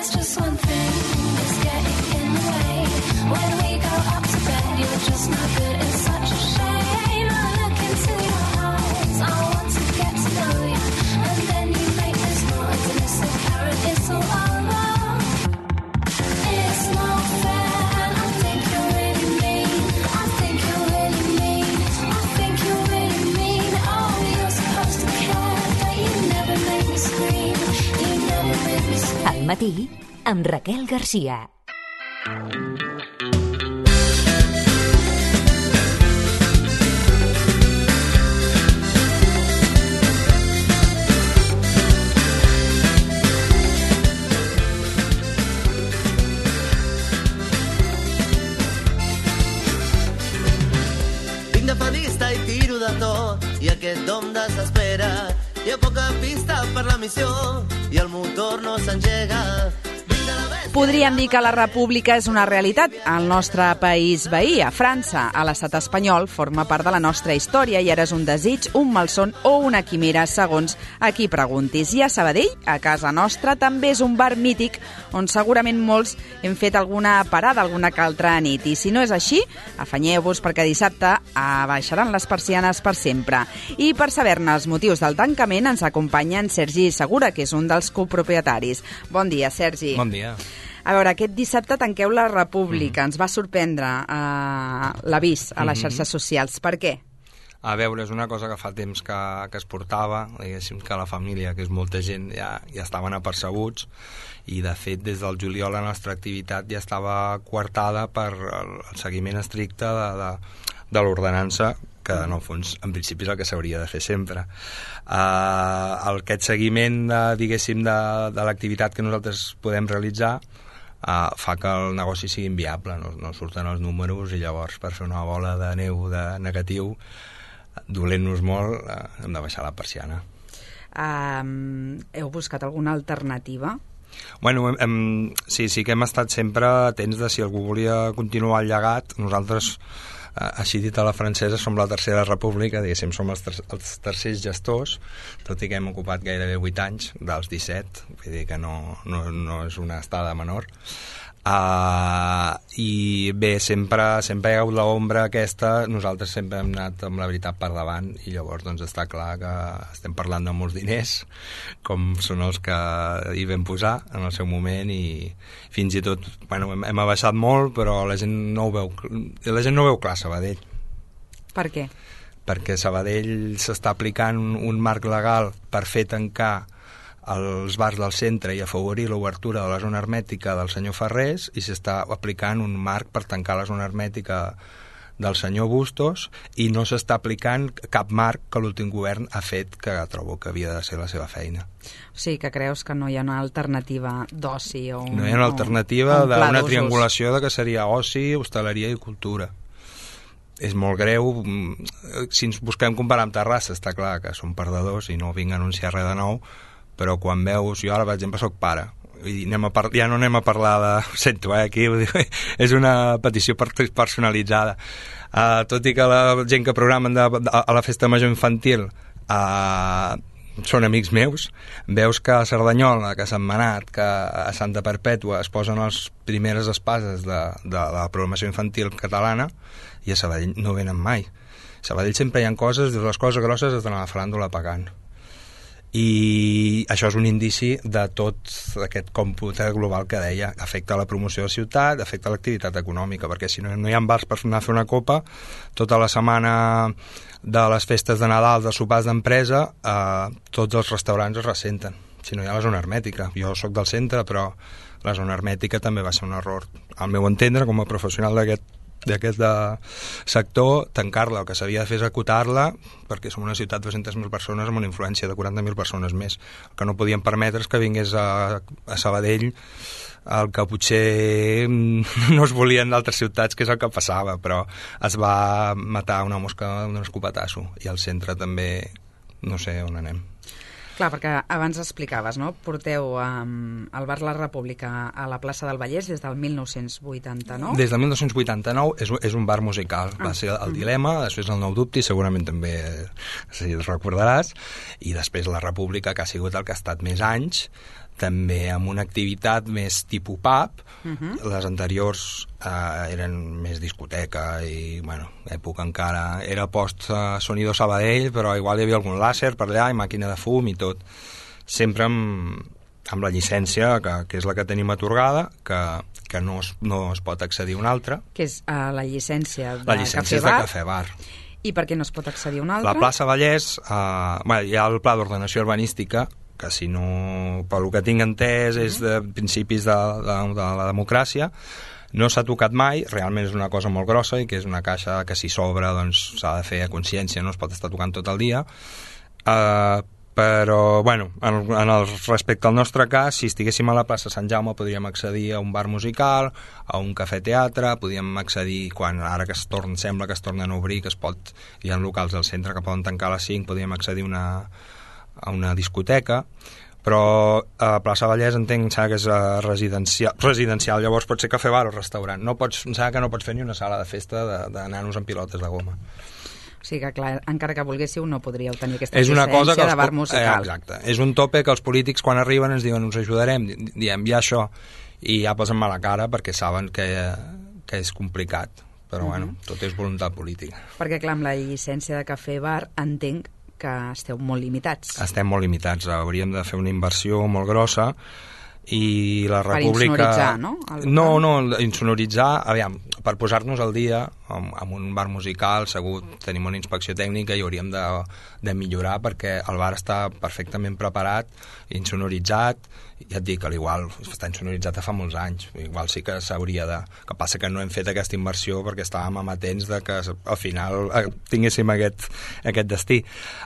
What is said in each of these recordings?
There's just one thing that's getting in the way. When we go up to bed, you're just no good. It's such a shame. I look into your eyes. I want to get to know you. And then you make this noise, and it's so apparent it's all over. It's not fair, and I think you're really mean. I think you're really mean. I think you're really mean. Oh, you're supposed to care, but you never make me scream. You never make me scream. Al matí, amb Raquel Garcia. Vinc de fadista i tiro de tot, i aquest dom desespera. Hi ha poca pista per la missió, i el motor no s'engega. Vinc de la bèstia... Podríem dir que la república és una realitat al nostre país veí, a França. A l'estat espanyol forma part de la nostra història i ara és un desig, un malson o una quimera, segons a qui preguntis. I a Sabadell, a casa nostra, també és un bar mític on segurament molts hem fet alguna parada alguna que altra nit. I si no és així, afanyeu-vos perquè dissabte abaixaran les persianes per sempre. I per saber-ne els motius del tancament ens acompanya en Sergi Segura, que és un dels copropietaris. Bon dia, Sergi. Bon dia. A veure, aquest dissabte tanqueu la República. Ens va sorprendre l'avís a les xarxes socials. Per què? A veure, és una cosa que fa temps que es portava, diguéssim que la família, que és molta gent, ja estaven apercebuts, i de fet des del juliol la nostra activitat ja estava coartada per el seguiment estricte de l'ordenança, que en el fons, en principi, és el que s'hauria de fer sempre. Aquest seguiment, diguéssim, de l'activitat que nosaltres podem realitzar fa que el negoci sigui inviable, no surten els números, i llavors per fer una bola de neu de negatiu, dolent-nos molt, hem de baixar la persiana. Heu buscat alguna alternativa? Bueno, sí que hem estat sempre atents de si algú volia continuar el llegat. Nosaltres, així dit a la francesa, som la tercera república, diguéssim, som els tercers gestors, tot i que hem ocupat gairebé 8 anys dels 17, vull dir que no és una estada menor. I bé, sempre hi ha hagut l'ombra aquesta, nosaltres sempre hem anat amb la veritat per davant, i llavors doncs està clar que estem parlant de molts diners, com són els que hi vam posar en el seu moment, i fins i tot, bueno, hem abaixat molt, però la gent no ho veu clar, Sabadell. Per què? Perquè Sabadell s'està aplicant un marc legal per fer tancar els bars del centre i afavorir l'obertura de la zona hermètica del senyor Ferrés, i s'està aplicant un marc per tancar la zona hermètica del senyor Bustos, i no s'està aplicant cap marc que l'últim govern ha fet, que trobo que havia de ser la seva feina. O sigui, que creus que no hi ha una alternativa d'oci? No hi ha una alternativa d'una triangulació de que seria oci, hostaleria i cultura. És molt greu. Si ens busquem comparar amb Terrassa, està clar que són perdedors i no vinc a anunciar res de nou, però quan veus, jo ara per exemple soc pare, i ja no anem a parlar de... Ho sento, aquí ho dic, és una petició personalitzada. Tot i que la gent que programen a la festa major infantil són amics meus, veus que a Cerdanyola, que a Sentmenat, que a Santa Perpètua es posen les primeres espases de la programació infantil catalana, i a Sabadell no venen mai. A Sabadell sempre hi ha coses, les coses grosses es donen a la faràndula pagant. I això és un indici de tot aquest còmput global que deia, afecta la promoció de la ciutat, afecta l'activitat econòmica, perquè si no hi ha bars per anar a fer una copa, tota la setmana de les festes de Nadal, de sopars d'empresa, tots els restaurants es ressenten, si no hi ha la zona hermètica. Jo sóc del centre, però la zona hermètica també va ser un error, al meu entendre, com a professional d'aquest sector, tancar-la. El que s'havia de fer és acotar-la, perquè som una ciutat de 200.000 persones amb una influència de 40.000 persones més. El que no podíem permetre és que vingués a Sabadell el que potser no es volien d'altres ciutats, que és el que passava, però es va matar una mosca d'un escopetasso, i al centre també no sé on anem. Clar, perquè abans explicaves, no? Porteu el Bar La República a la plaça del Vallès des del 1989? Des del 1989 és un bar musical. Va ser el Dilema, després el Nou Dubte, segurament també, si el recordaràs, i després la República, que ha sigut el que ha estat més anys, també amb una activitat més tipus pub. Les anteriors eren més discoteca i, bueno, època encara era post Sonido Sabadell, però igual hi havia algun làser per allà i màquina de fum i tot. Sempre amb la llicència, que és la que tenim atorgada, que no es pot accedir a una altra. Que és la llicència de La llicència és de Cafè Bar. I per què no es pot accedir a una altra? La plaça Vallès, hi ha el pla d'ordenació urbanística, que si no, pel que tinc entès, és de principis de la democràcia. No s'ha tocat mai, realment és una cosa molt grossa i que és una caixa que si s'obre doncs s'ha de fer a consciència, no es pot estar tocant tot el dia. Però, bueno, respecte al nostre cas, si estiguéssim a la plaça Sant Jaume podríem accedir a un bar musical, a un cafè-teatre, podríem accedir, ara que sembla que es tornen a obrir, hi ha locals del centre que poden tancar a les 5, podríem accedir a una discoteca, però a Plaça Vallès entenc que és residencial, llavors pot ser cafè, bar o restaurant. No pots fer ni una sala de festa de nanos amb pilotes de goma. O sigui que, clar, encara que volguéssiu, no podríeu tenir aquesta llicència de bar musical. Exacte. És un tope que els polítics, quan arriben, ens diuen us ajudarem, diem, hi ha això, i ja posen mala cara perquè saben que és complicat. Però, bueno, tot és voluntat política. Perquè, clar, amb la llicència de cafè-bar entenc que esteu molt limitats. Estem molt limitats. Hauríem de fer una inversió molt grossa i la República... Per insonoritzar, no? No, insonoritzar, aviam, per posar-nos al dia amb un bar musical, segur tenim una inspecció tècnica i hauríem de millorar perquè el bar està perfectament preparat, insonoritzat, ja et dic, igual està insonoritzat fa molts anys, igual sí que s'hauria de... Que passa que no hem fet aquesta inversió perquè estàvem amatents de que al final tinguéssim aquest destí.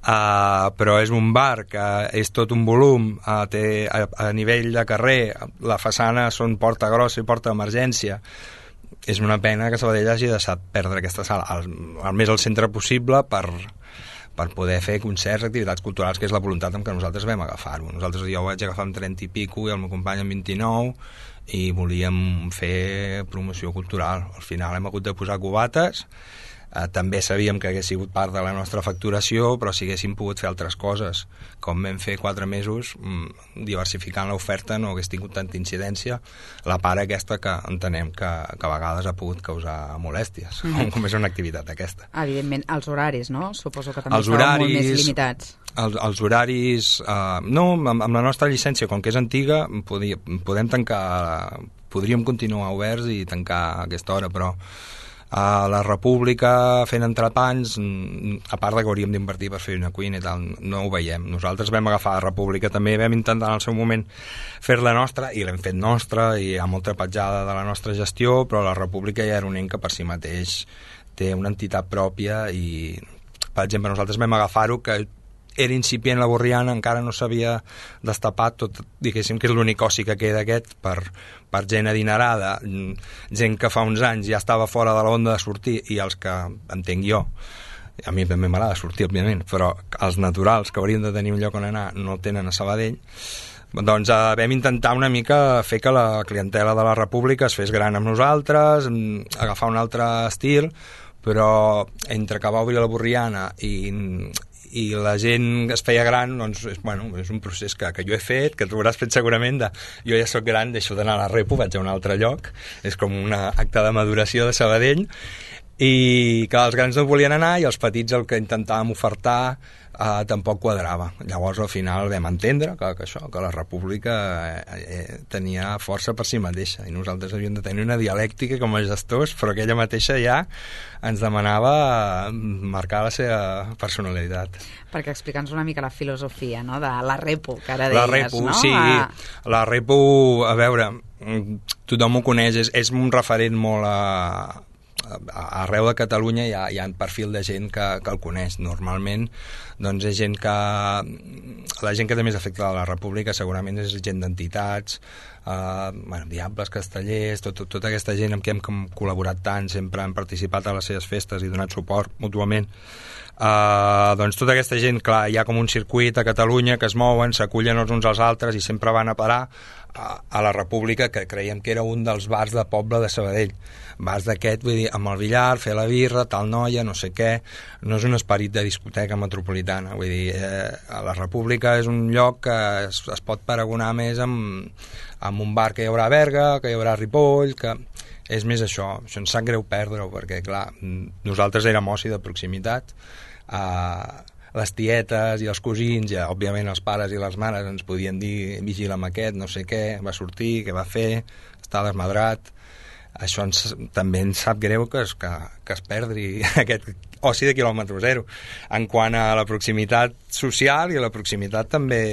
Però és un bar que és tot un volum, té a nivell de carrer, la façana són porta grossa i porta d'emergència. És una pena que Sabadell hagi deixat perdre aquesta sala al més al centre possible per poder fer concerts, activitats culturals, que és la voluntat amb què nosaltres vam agafar-ho. Jo ho vaig agafar amb 30 i pico i el meu company amb 29 i volíem fer promoció cultural. Al final hem hagut de posar cubates, també sabíem que hagués sigut part de la nostra facturació, però si haguéssim pogut fer altres coses, com vam fer 4 mesos, diversificant l'oferta no hagués tingut tanta incidència, la part aquesta que entenem que a vegades ha pogut causar molèsties, com és una activitat aquesta. Evidentment, els horaris, no? Suposo que també estaven molt més limitats. Els horaris... No, amb la nostra llicència, com que és antiga, podem tancar... Podríem continuar oberts i tancar a aquesta hora, però a la República fent entrepans, a part que hauríem d'invertir per fer una cuina i tal, no ho veiem. Nosaltres vam agafar la República, també vam intentar en el seu moment fer-la nostra i l'hem fet nostra i hi ha molta petjada de la nostra gestió, però la República ja era un ent que per si mateix té una entitat pròpia i, per exemple, nosaltres vam agafar-ho que era incipient la Borriana, encara no s'havia destapat tot, diguéssim que és l'únic oci que queda aquest per gent adinerada, gent que fa uns anys ja estava fora de l'onda de sortir i els que, entenc jo, a mi també m'agrada sortir, òbviament, però els naturals que haurien de tenir un lloc on anar no tenen a Sabadell. Doncs vam intentar una mica fer que la clientela de la República es fes gran amb nosaltres, agafar un altre estil, però entre que va obrir la Borriana i la gent es feia gran, doncs, és un procés que jo he fet, que tu hauràs fet segurament jo ja sóc gran, deixo d'anar a la Repo, vaig a un altre lloc, és com un acte de maduració de Sabadell, i que els grans no volien anar i els petits el que intentàvem ofertar tampoc quadrava. Llavors al final vam entendre que la República tenia força per si mateixa i nosaltres havíem de tenir una dialèctica com a gestors, però aquella mateixa ja ens demanava marcar la seva personalitat. Perquè explica'ns una mica la filosofia, no?, de la Repo, que ara deies, la Repo, no? Sí, la Repo, a veure, tothom ho coneix, és un referent molt arreu de Catalunya hi ha un perfil de gent que el coneix. Normalment doncs és gent que la gent que té més afecte a la República segurament és gent d'entitats, Diables, Castellers, tota aquesta gent amb qui hem col·laborat tant, sempre han participat a les seves festes i donat suport mútuament. Doncs tota aquesta gent, clar, hi ha com un circuit a Catalunya que es mouen, s'acullen els uns als altres i sempre van a parar a la República, que creiem que era un dels bars de poble de Sabadell. Bars d'aquest, vull dir, amb el billar, fer la birra, tal noia, no sé què. No és un esperit de discoteca metropolitana. Vull dir, la República és un lloc que es pot paragonar més amb un bar que hi haurà a Berga, que hi haurà a Ripoll, que és més això. Això ens sap greu perdre-ho, perquè, clar, nosaltres érem oci de proximitat, les tietes i els cosins, i òbviament els pares i les mares ens podien dir vigila amb aquest, no sé què, va sortir, què va fer, està desmadrat. Això també ens sap greu que es perdi aquest oci de quilòmetre zero. En quant a la proximitat social i la proximitat també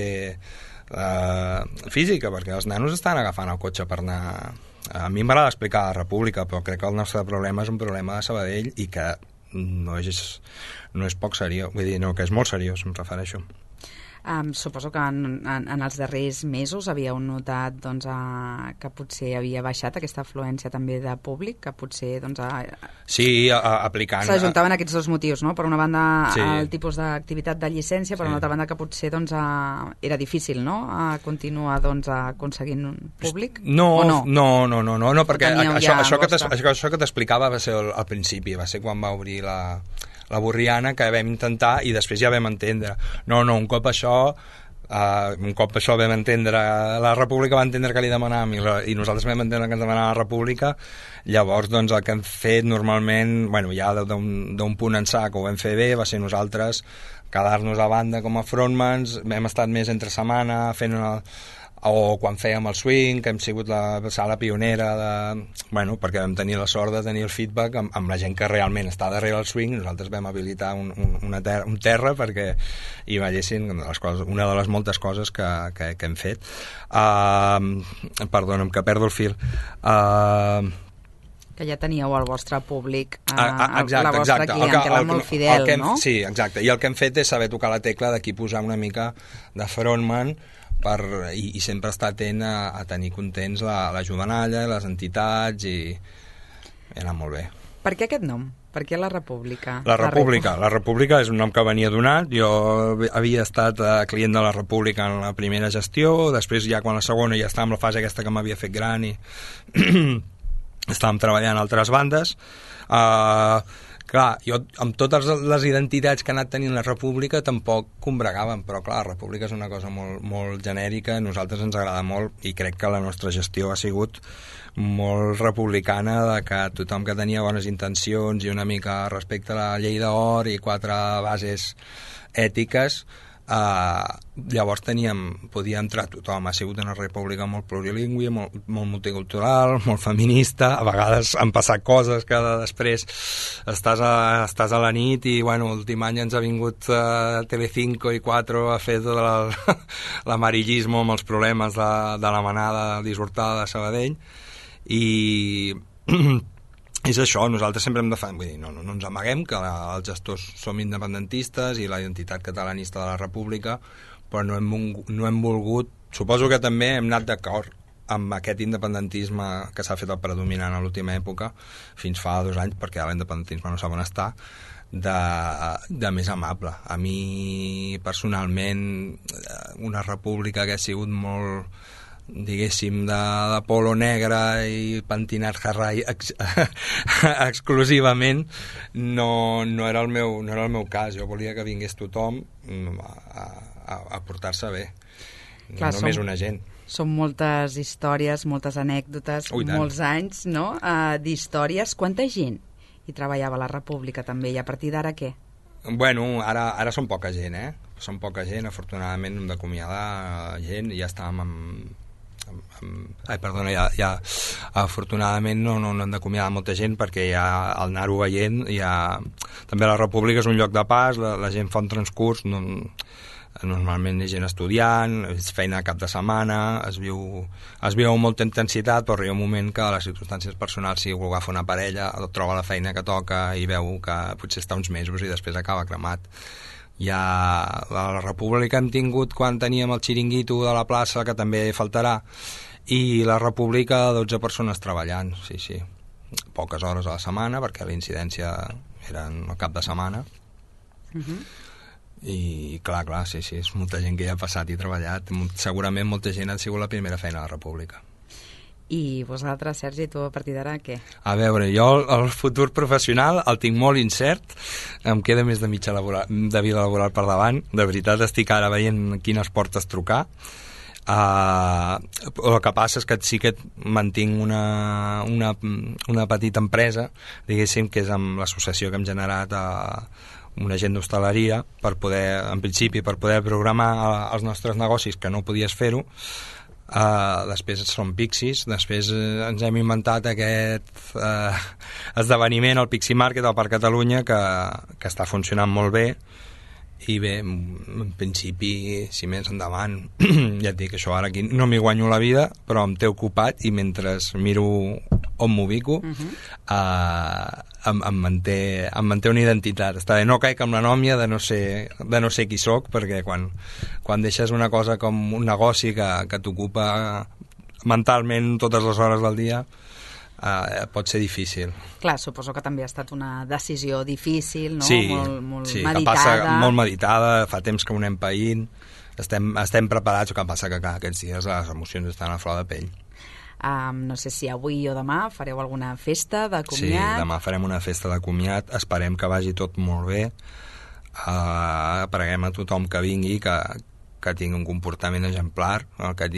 física, perquè els nanos estan agafant el cotxe per anar... A mi m'agrada explicar la República, però crec que el nostre problema és un problema de Sabadell i que no és poc seriós, vull dir, no, que és molt seriós, em refereixo. Suposo que en els darrers mesos havíeu notat que potser havia baixat aquesta afluència també de públic, que potser sí, aplicant... S'ajuntaven aquests dos motius, no? Per una banda, sí, el tipus d'activitat de llicència, per una altra banda que potser era difícil, no?, continuar aconseguint un públic? No, perquè això que t'explicava va ser al principi, va ser quan va obrir la Borriana, que vam intentar i després ja vam entendre. No, un cop això vam entendre, la República va entendre que li demanàvem i nosaltres vam entendre que ens demanava la República. Llavors, el que hem fet normalment, ja d'un punt ençà que ho vam fer bé, va ser nosaltres quedar-nos a banda com a frontmans. Hem estat més entre setmana fent o quan fèiem el swing, que hem sigut la sala pionera perquè vam tenir la sort de tenir el feedback amb la gent que realment està darrere el swing. Nosaltres vam habilitar un terra perquè hi veiessin una de les moltes coses que hem fet. Perdona'm, que perdo el fil. Que ja teníeu el vostre públic, la vostra clientela molt fidel, no? Sí, exacte. I el que hem fet és saber tocar la tecla d'aquí posar una mica de frontman i sempre estar atent a tenir contents la jovenalla, les entitats, i anar molt bé. Per què aquest nom? Per què la República? La República és un nom que venia donat. Jo havia estat client de la República en la primera gestió, després ja quan la segona ja estava en la fase aquesta que m'havia fet gran i estàvem treballant a altres bandes. Clar, jo amb totes les identitats que ha anat tenint la República tampoc combregàvem, però clar, la República és una cosa molt, molt genèrica, a nosaltres ens agrada molt i crec que la nostra gestió ha sigut molt republicana, de que tothom que tenia bones intencions i una mica respecte a la llei d'or i 4 bases ètiques, llavors podia entrar tothom. Ha sigut una república molt plurilingüe, molt multicultural, molt feminista. A vegades han passat coses que després estàs a la nit i l'últim any ens ha vingut Telecinco i 4 a fer tot l'amarillismo amb els problemes de la manada dissortada de Sabadell, i és això. Nosaltres sempre hem defensat, vull dir, no ens amaguem que els gestors som independentistes i la identitat catalanista de la República, però no hem volgut, suposo que també hem anat d'acord amb aquest independentisme que s'ha fet el predominant a l'última època, fins fa 2 anys, perquè l'independentisme no sap on està, de més amable. A mi personalment una república que ha sigut molt, diguéssim, de polo negre i pentinat Harry exclusivament, no era el meu cas. Jo volia que vingués tothom a portar-se bé. Clar, no només una gent. Són moltes històries, moltes anècdotes, molts anys, no?, d'històries. Quanta gent hi treballava a la República també, i a partir d'ara què? Ara són poca gent, Són poca gent, afortunadament hem d'acomiadar gent, i ja estàvem afortunadament no hem d'acomiadar molta gent, perquè ja al anar-ho veient també la República és un lloc de pas, la gent fa un transcurs, normalment és gent estudiant, és feina cap de setmana, es viu amb molta intensitat, però arriba un moment que les circumstàncies personals, si vol agafar una parella, troba la feina que toca i veu que potser està uns mesos i després acaba cremat. Ja la República hem tingut quan teníem el xiringuito de la plaça, que també faltarà, i la República 12 persones treballant, sí. Poques hores a la setmana, perquè la incidència era al cap de setmana. I clar, sí, és molta gent que hi ha passat i treballat. Segurament molta gent ha sigut la primera feina de la República. I vosaltres, Sergi, tu a partir d'ara què? A veure, jo el futur professional el tinc molt incert, em queda més de mitja de vida laboral per davant. De veritat, estic ara veient quines portes trucar. El que passa és que sí que mantinc una petita empresa, diguéssim, que és amb l'associació que hem generat un agent d'hostaleria, per poder, en principi, per poder programar els nostres negocis, que no podies fer-ho. Després són Pixies, després ens hem inventat aquest esdeveniment, el Pixie Market al Parc Catalunya, que està funcionant molt bé. I bé, en principi, si més endavant, ja et dic, això ara aquí no m'hi guanyo la vida, però em té ocupat i mentre miro on m'ubico em manté una identitat. Està bé, no caic amb l'anòmia de no ser qui soc, perquè quan deixes una cosa com un negoci que t'ocupa mentalment totes les hores del dia, pot ser difícil. Clar, suposo que també ha estat una decisió difícil, no? Sí, molt sí, meditada. Que passa molt meditada, fa temps que ho anem païnt, estem preparats, el que passa que aquests dies les emocions estan a flor de pell. No sé si avui o demà fareu alguna festa de comiat. Sí, demà farem una festa de comiat, esperem que vagi tot molt bé, preguem a tothom que vingui, que tingui un comportament exemplar, que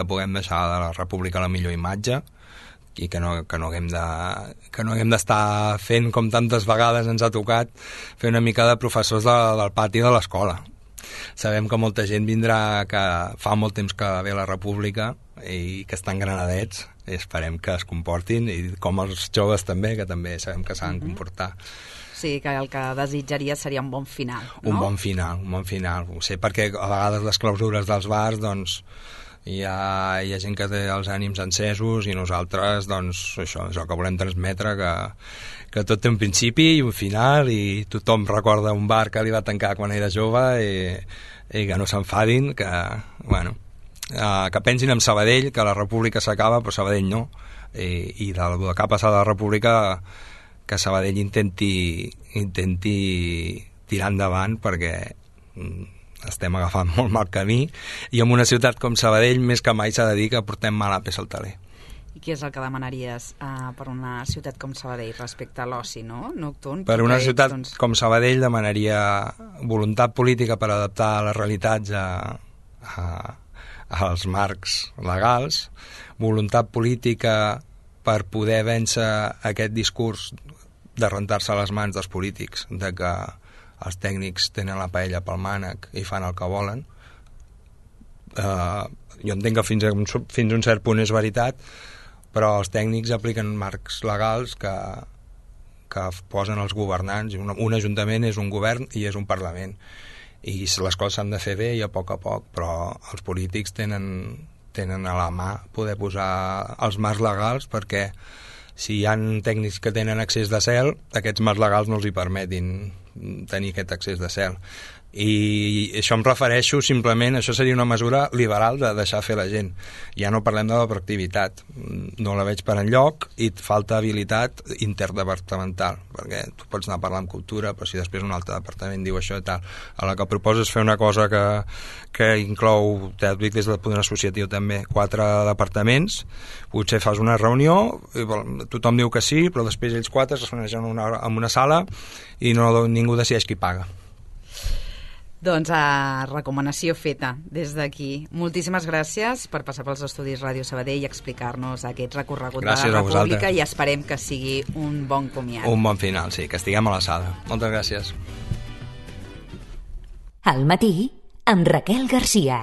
puguem deixar de la República la millor imatge, i que no haguem d'estar fent, com tantes vegades ens ha tocat, fer una mica de professors del pati de l'escola. Sabem que molta gent vindrà, que fa molt temps que ve a la República i que estan granadets, i esperem que es comportin, i com els joves també, que també sabem que s'han de comportar. Sí, que el que desitjaria seria un bon final, no? Un bon final. Ho sé, perquè a vegades les clausures dels bars, doncs, hi ha gent que té els ànims encesos i nosaltres, doncs, això és el que volem transmetre, que tot té un principi i un final, i tothom recorda un bar que li va tancar quan era jove i que no s'enfadin, que pensin en Sabadell, que la República s'acaba però Sabadell no, i del que ha passat a la República, que Sabadell intenti tirar endavant, perquè estem agafant molt mal camí, i en una ciutat com Sabadell més que mai s'ha de dir que portem mala peça al taler. I què és el que demanaries per una ciutat com Sabadell respecte a l'oci, no? Nocturn? Per una ciutat com Sabadell demanaria voluntat política per adaptar les realitats als marcs legals, voluntat política per poder vèncer aquest discurs de rentar-se les mans dels polítics, de que els tècnics tenen la paella pel mànec i fan el que volen. Jo entenc que fins a un cert punt és veritat, però els tècnics apliquen marcs legals que posen els governants. Un ajuntament és un govern i és un parlament, i les coses s'han de fer bé i a poc, però els polítics tenen a la mà poder posar els marcs legals, perquè si hi ha tècnics que tenen accés de cel, aquests marcs legals no els hi permetin tenir aquest accés de cel. I això em refereixo simplement, això seria una mesura liberal de deixar fer la gent. Ja no parlem de la proactivitat, no la veig per enlloc, i et falta habilitat interdepartamental, perquè tu pots anar a parlar amb cultura, però si després un altre departament diu això i tal, a la que proposes fer una cosa que inclou, t'he dit des del punt associatiu també, 4 departaments, potser fas una reunió, tothom diu que sí, però després ells 4 es reuneixen en una sala i ningú decideix qui paga. Doncs recomanació feta des d'aquí. Moltíssimes gràcies per passar pels estudis Ràdio Sabadell i explicar-nos aquest recorregut de la República, i esperem que sigui un bon comiat. Un bon final, sí, que estiguem a l'alçada. Moltes gràcies. Al matí, amb Raquel Garcia.